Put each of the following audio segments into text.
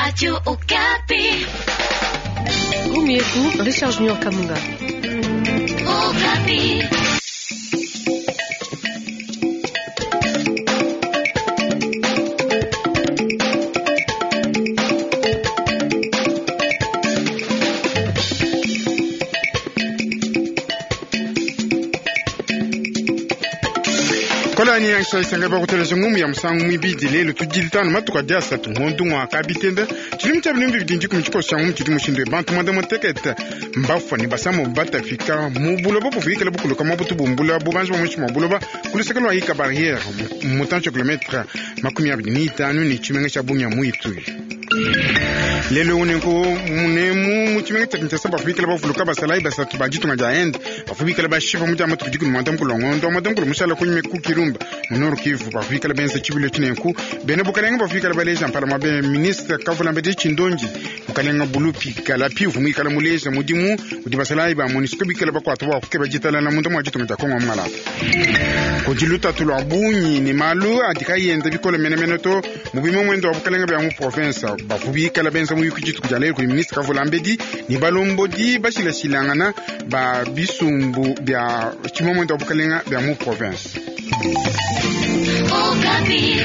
Radio Okapi. Gumi yetu Richard Junior Kamunga. Okapi. Kolani yanshaisanga bakuteleja ngumu ya musangu mwibidi lelo tudilitano matuku adi asatu ngondu ngwaka bitenda tshilimu tshia bilimbi bidi ndikumi tshikoso tshia ngumu tshidi mushindu bantu mwanda mutekete mbafua ne basamo batafika mu buloba buvuikala bukuluka mwa butu bumbula bubanji bwa muinshi mua buloba ku luseke lua ika barriere mutantshi wa kilometre 25 ne tshimenga tshia Bunia mu Ituri. Lelo unenku munemu mu tshimenga tshia Kinshasa bavuikala bavuluka basalayi basatu ba ditunga dia Inde bavuikala bashipa mu dia matuku dikumi mwanda mukulu wa ngondo wa mwanda mukulu mushala kunyima ku Kirumba mu Nord Kivu bavuikala benza tshibilu tshinenku bena bukalenga bavuikala baleja mpala mwa be ministre Kavulambedi Tshindonji mukalenga Bulupi Kalapi uvua muikala muleja mudimu udi basalayi ba MONUSCO bikala bakuata bua kukeba ditalala munda mua ditunga dia Kongo wa Malata. Kudi lutatu lua bungi ne malu adi kayi enda bikole menemene to mu bimue muendo wa bukalenga bia mu province bavua bikala benza muyuki dituku dia lelu kudi ministre Kavulambedi ne balombodi bashilashilangana ba bisumbu bia tshimue muendo wa bukalenga bia mu province. Okapi.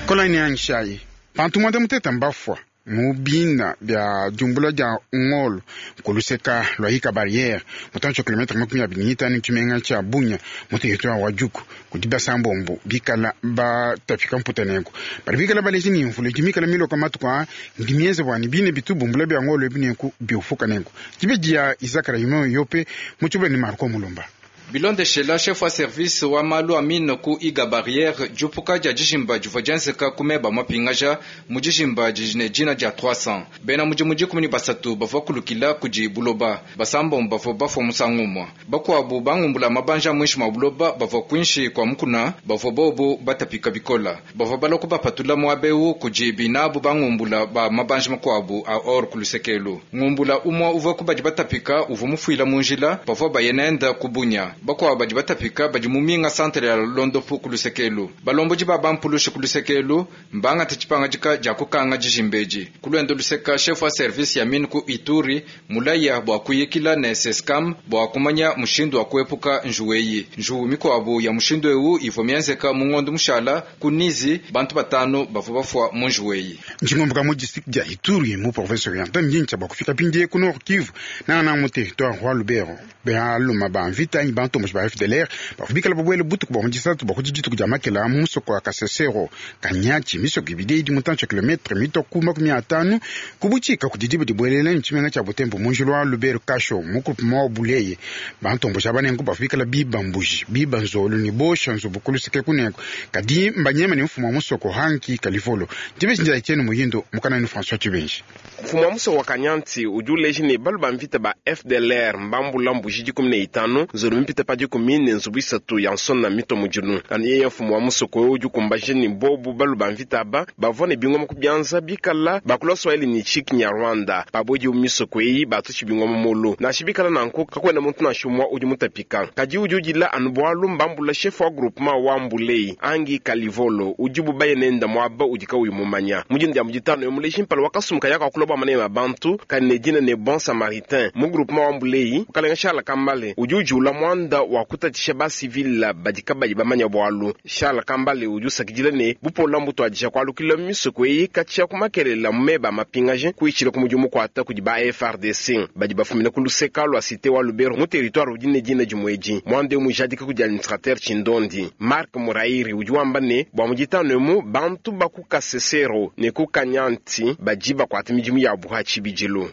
Kolani yanshayi bantu mwanda muteta mbafua mu bina bia diumbula dia ngolo kuluseka lua ika barriere mutantshi wa kilometre 25 tshimenga tshia Bunia mu territoire wa Djugu kudi basambombo bikala batafika mputa nenku badi bikala baleja ne mvula idi mikala miloka matuku aa ndi mienze bua ne bine bitu bumbula bia ngolo ebi nenku biufuka nenku dibe dia Isaka Raymond Yope mu tshibula ne Marco Mulumba. Bilondeshela chef wa service wa malu a mine ku iga barriere diupuka dia dijimba divua dienzeka ku meba mapingaja mu dijimba didi ne dina dia 300 bena mudimu 13 bavua kulukila kudi buloba basambombo bavua bafua musangu umue bakuabu bangumbula mabanja muinshi mua buloba bavua kuinshi kua mukuna bavua bobu batapika bikola bavua balua kubapatula muaba eu kudi binabu bangumbula ba mabanja makuabu a or ku lusekelu ngumbula umue uvua ku badi batapika uvua mufuila mu njila bavua baye nenda ku Bunia bakuabu badi batapika badi mu minga santere ya londopu ku lusekelu balombodi ba bampulusha ku lusekelu mbangata tshipangadika dia kukanga dijimbeji ku luendo luseka chef wa service ya mine ku Ituri mulaya bua kuyikila ne Sescam bua kumanya mushindu wa kuepuka njuwu eyi njuwu mikuabu ya mushindu eu ivua mienzeka mu ngondo mushala ku Nizi bantu batanu bavua bafua mu njuwu eyi. Njingomboka mu district dia Ituri mu province orientale njincha bua kufika pindie ku Nord Kivu nangana mu territoire wa Lubero bealuma ba mvita anyi bantomboji ba FDLR bavua bikala babuele butuku bua mu disatu bua ku dituku dia makela mu musoko wa Kasesero Kanyachi misoko ibidi idi mutantshi wa kilometre mitua ku 50 ku butshika kudi diba dibuelela ne tshimenga tshia Butembo mu njila wa Lubero Kasho mu groupement wa Buleye bantomboji aba nenku bavua bikala biba mbuji biba nzolo ne bosha nzubu ku luseke kunenku kadi mbanyema ne mfumu wa musoko Hanki Kalivolo dibeji ndia Etienne Muyindo mukana ni François Tshibenji. Mfumu wa musoko wa Kanyanti udi uleja ne balu ba mvita ba FDLR mbambula mbuji 15 nzolo mipita pa dikumi ne nzubu isatu ya nsona mito mudilu. Anu yeye mfumu wa musoko udi ukumbaja ne bobu balu ba mvita aba bavua ne bingoma ku bianza bikala bakula Swahili ne Kinyarwanda babodi mu misoko eyi batutshi bingoma mulu nansha bikala nanku kakuena muntu nansha umue udi mutapika kadi udi udila anu bualu mbambula chef wa groupement wa Mbulei Angi Kalivolo udi bubaye nenda muaba udi kauyi mumanya mudinda dia muditanu yo muleji mpala wakasumuka yaka akula bua manema bantu kadi ne dina ne Bon Samaritain mu groupement wa Mbulei mukalenga Charles Kambale udi ujiula muanda wa kutatisha ba civil badi kabayi bamanya bualu. Charles Kambale udi usakidila ne bupola mbutuadija kualukila misoko eyi katshia kumakelela mu meba mapingaje kuitshila ku mudimu mukuata kudi ba FARDC badi bafumina ku luseka lua cité wa Lubero mu territoire udi ne dina dimuedi muanda eu mujadika kudi administrateur Tshindondi Marc Murairi udi wamba ne bua muditanu emu bantu ba ku Kasesero ne ku Kanyanti badi bakuata midimu yabu ha tshibidilu.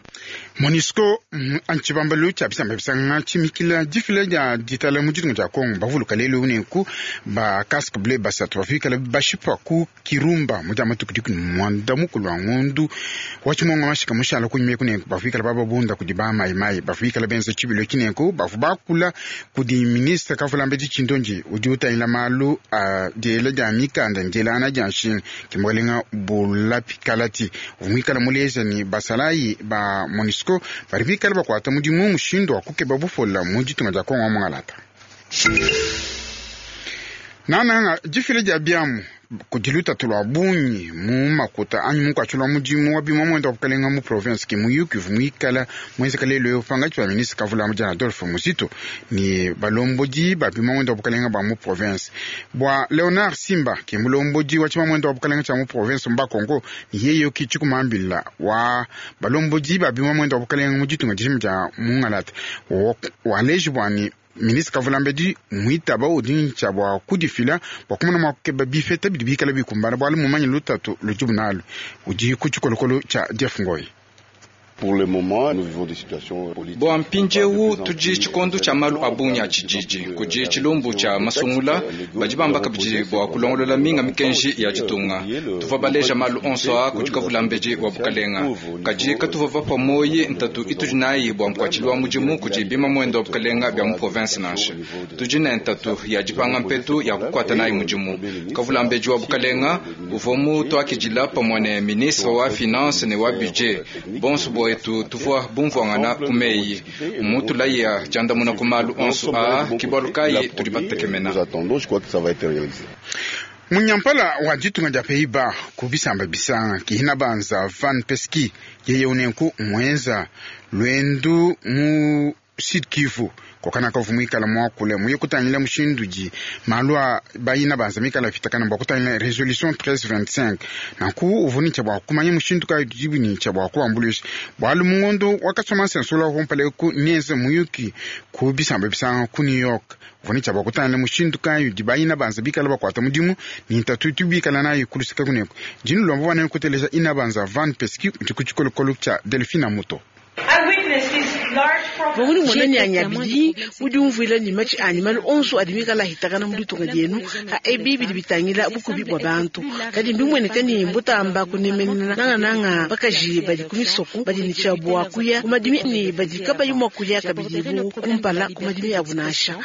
MONUSCO antshibambalu tshia bisamba bisanga tshimikila difila dia ditala mu ditunga dia Kongo bavuluka lelu nenku ba casque bleu basatu bafikala bashipa ku Kirumba mu dia matuku 18 mukulu wa ngondu wa tshimonga mashika mushala kunyima kunenku bafikala bababunda kudi ba mai mai bafikala benza tshibilo tshinenku bavu bakula kudi ministre Kavulambedi Tshindonji udi utangila malu a diela dia mikanda ndielana dia nshinga kimukalenga Bulapi Kalati uvua muleja ni basalayi ba MONUSCO badi bikala bakuata mudimu mushindu wa kukeba bufola mu ditunga dia Kongo wa Mongalata. Nananga difila dia biamu. Kudi lutatu lua bungi mu makuta anyi munkatshi lua mudimu wa bima mwenda wa bukalenga mu province ke muyuki uvua muikala muenzeka lelu eu pankatshi pa ministre Kavulama Jean Adolphe Muzito ne balombodi ba bima mwenda wa bukalenga ba mu province. Bua Leonard Simba ke mulombodi wa tshima mwenda wa bukalenga tshia mu province mba Kongo ne yeye ki tshikumambila wa balombodi ba bima mwenda wa bukalenga mu ditunga dijima dia Mungalata waleji bua ne ministre Kavulambedi muitaba udi ntshia bua kudifila bua kumona mua kukeba bipeta bidi bikala bikumbana bualu mumanye lutatu ludibu nalu udi ku tshikolokolo tshia Jeff Ngoi. Bua mpindieu tudi tshikondo tshia malu a bungi a tshididi kudi tshilumbu tshia masungula badi bamba kabidi bua kulongolola minga mikenji ya ditunga. Tuvua baleja malu onso a kudi Kavulambedi wa bukalenga, kadi katuvua bapua moyi ntatu itudi nayi bua nkuatshilu wa mudimu kudi bima mwenda wa bukalenga bia mu province nansha. Tudi ne ntatu ya dipanga mpetu ya kukuata nayi mudimu. Kavulambedi wa bukalenga uvua mutuakidila pamue ne ministre wa finance ne wa budget bonso bwetu tuvua bumvuangana ku meyi mutulaya diandamuna ku malu onso aa ke bualu kayi tudi batekemena. Munyampala wa ditunga dia Pays-Bas ku bisamba bisanga kihina banza Van Peski yeye unenku mwenza lwendu mu Sud Kivu kokana kavu muikala muakule muye kutangila mushindu di malu a bayina banza mikala fitakana bua kutangila resolution 1325 nanku uvua ne tshia bua kumanya mushindu kayi dibu ne tshia bua kuambuluisha bualu mungondo wakasoma nsensula kumpala ku nienze muyuki ku bisamba bisanga ku New York uvua ne tshia bua kutangila mushindu kayi di bayina banza bikala bakuata mudimu ne ntatu itu bikala nayi kuluseka kuneko dinu lomba bua kuteleja ina banza Van Peski ku tshikolokolo tshia Delphine Muto. Vanguni mwana nyanya bidi udi umvuila ne matshi anyi malu onso adi mikala ahitakana mu ditunga dienu ha ebi bidi bitangila bukubi bua bantu kadi mbimueneka ne mbutamba kunemenena nangananga bakaji badi ku misoko badi ne tshia bua kuya ku madimi ne badi kabayi mua kuya kabidi bu kumpala ku madimi abu nansha.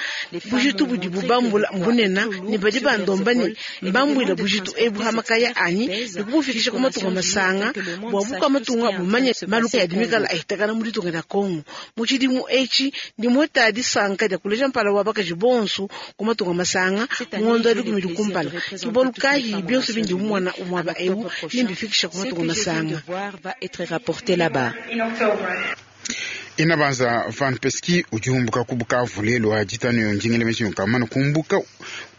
Bujitu budi bubambula mbunena ne badi bandomba ne mbambuila bujitu ebu ha makaya anyi ne kubufikisha ku matunga masanga bua buka matunga bumanye malu adi mikala ahitakana mu ditunga dia Kongo. Mu tshidimu etshi ndi mueta disanka dia kuleja mpala wa bakaji bonso ku matunga masanga ngondo adi kumidi kumpala kibualu kayi bionso bindi mumona umuaba eu nimbifikisha ku matunga masanga. Inabanza Van Peski udi umbuka ku Bukavu lelu wa ditanu yo ndingele meshinyu kamana kumbuka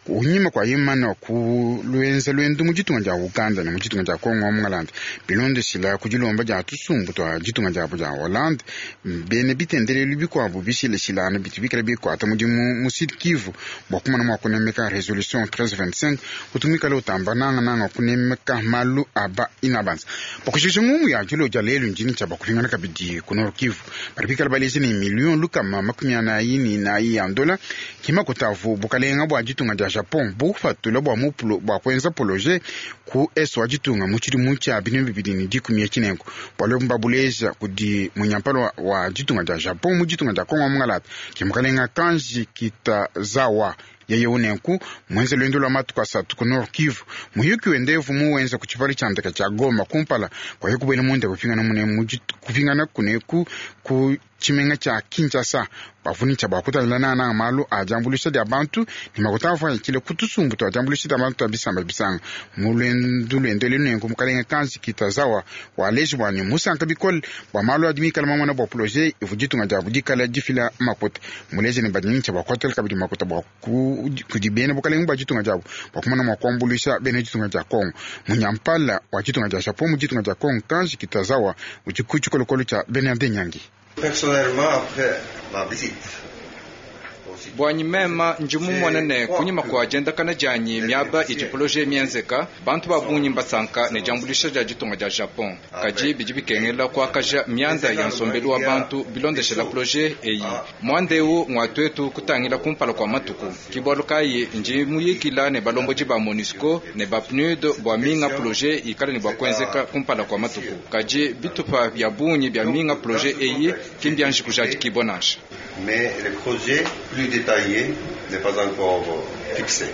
unyima kwa imana ku lwenza lwendu mu ditunga dia Uganda ne mu ditunga dia Kongo wa Mungalanda bilondeshila ku dilomba dia tusumbu twa ditunga diabo dia Hollande bene bitendelelu bikuabu bishileshilana bitu bikala bikuata mudimu mu Sud Kivu bua kumana mua kunemeka resolution 1325 utumikala utamba nangananga kunemeka malu aba inabanza pakushikisha ngumu ya dilo dia lelu ndini tshia bakupingana kabidi ku Nord Kivu badi bikala baleja ne million lukama makumi anayi ne inayi ya ndola kimakutavu bukalenga bua ditunga dia Japon bufatula bua mupulo bua kuenza projet ku eso wa ditunga mu tshidimu tshia bintu bibidi ne dikumi ya tshinengo bualu mbabuleja kudi munyampala wa ditunga dia Japon mu ditunga dia Kongo wa Mungalata ke mukalenga Kanji Kitazawa yeye unenku mwenze lwendo lwa matuku asatu ku Nord Kivu muyuki wendevu muwenza ku tshipali tshia ndeka tshia Goma kumpala kwa yekubwela munda kupingana mune kupingana kuneku ku tshimenga tshia Kinshasa bavuni tshia bakutalila nana malu a diambuluisha dia bantu ne makuta avua yakile ku tusumbu twa diambuluisha dia bantu twa bisamba bisanga mu lwendu lwendele nenku mukalenga Kanji Kitazawa waleji bua ne musanka bikole bua malu adi mikala mamona bua projet ivu ditunga diabu dikala difila makuta muleje ne badini tshia bakuatela kabidi makuta bua kudi bena bukalenga bua ditunga diabu bua kumona mua kuambuluisha bena ditunga dia Kongo. Munyampala wa ditunga dia Japon mu ditunga dia Kongo Kanji Kitazawa udi ku tshikolokolo tshia Bernard Nyangi. Personnellement, après ma visite, bwanyi mema ndi mumona ne kunyima kua diendakana dianyi miaba idi projet mienzeka bantu ba bungi mbasanka ne diambuluisha dia ditunga dia Japon kadi bidi bikengela kuakaja mianda ya nsombelu wa bantu bilondeshela projet eyi muanda eu ngua tuetu kutangila kumpala kua matuku kibualu kayi ndi muyikila ne balombodi ba MONUSCO ne ba PNUD bua minga projet ikala ne bua kuenzeka kumpala kua matuku kadi bitupa bia bungi bia minga projet eyi kimbianji kujadikibwa nansha. Mais le projet plus détaillé n'est pas encore fixé.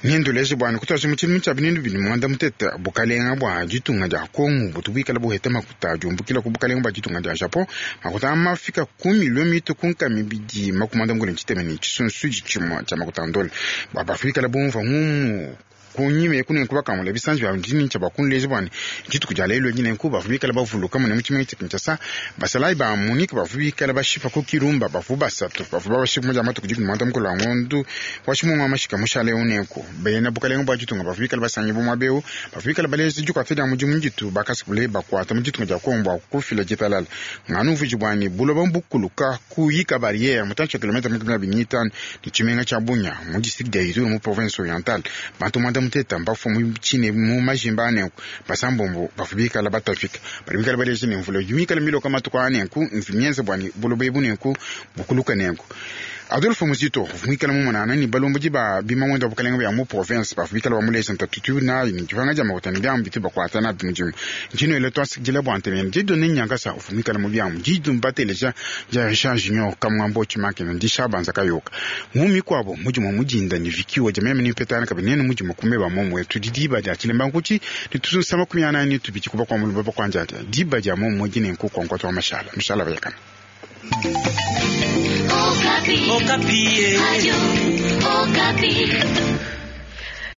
Ninduleje bwana kutwaje mu tshidimu tshia bintu bidi muanda mutete bukalenga bua ditunga dia Kongo butu buikala buheta makuta diumbukila ku bukalenga bua ditunga dia Japon makuta amafika ku milio mitu ku nkami bidi makumanda mukule ntshiteme ne tshisunsu tshimue tshia makuta ndola bua bafikala bumva ngumu Kunyima eku nenku bakangula bisanji bia ndini tshia bakunleja bua ne dituku dia lelu edi nenku bavua bikale bavuluka mune mu tshimenga tshia Kinshasa basalayi ba MONUC bavua bikale bashipa ku Kirumba bavua basatu bavua babashipa mu dia matuku dikumi muanda mukulu a ngondu wa tshimungu wa mashika mushale eu nenku bena bukalenga bua ditunga bavua bikale basangibua muaba eu bavua bikale baleja dikuata dia mudimu ditu bakasukule bakuata mu ditunga dia Kongo bua kufila ditalala nganu mvuiji bua ne buloba mbukuluka kuyika barriere mutantshi wa kilomita makumi abidi ne itanu ne tshimenga tshia Bunia mu district dia Ituri mu province orientale. Bantu muanda muteta mbafua mu tshine mu majimba a nenku basambombo bavua bikala batapika badi bikala baleja ne mvula udi mikala miloka matuku a nenku mvi mienza bua ne buloba ebu nenku bukuluka nenku. Adolphe Muzito uvua muikale mumonangana ne balombodi ba bimamuende wa bukalenga bia mu province bavua bikala bamuleja ntatu itu nayi ne dipanga dia makuta ne biamu bitu bakuata nabi mudimu. Ndi nuela tuasakidila bua ntema yenu. Dieudonne Nyankasa uvua muikale mu biamu ditu mbateleja dia Richard Junior Kamwambo Tshimakina ndi Shabanza Kayoka. Mu mikuabo mudimu mudinda ne Vicky Odia meme ne mpetana kabidi nenu mudimu ku meba momue tudi diba dia tshilemba nkuti ne tusunsa 42 kuba kwa muluba bakwanjadia diba dia momue dine nku kwa nkwatu wa mashala mishala bayakana. Okapi. Okapi. Radio Okapi.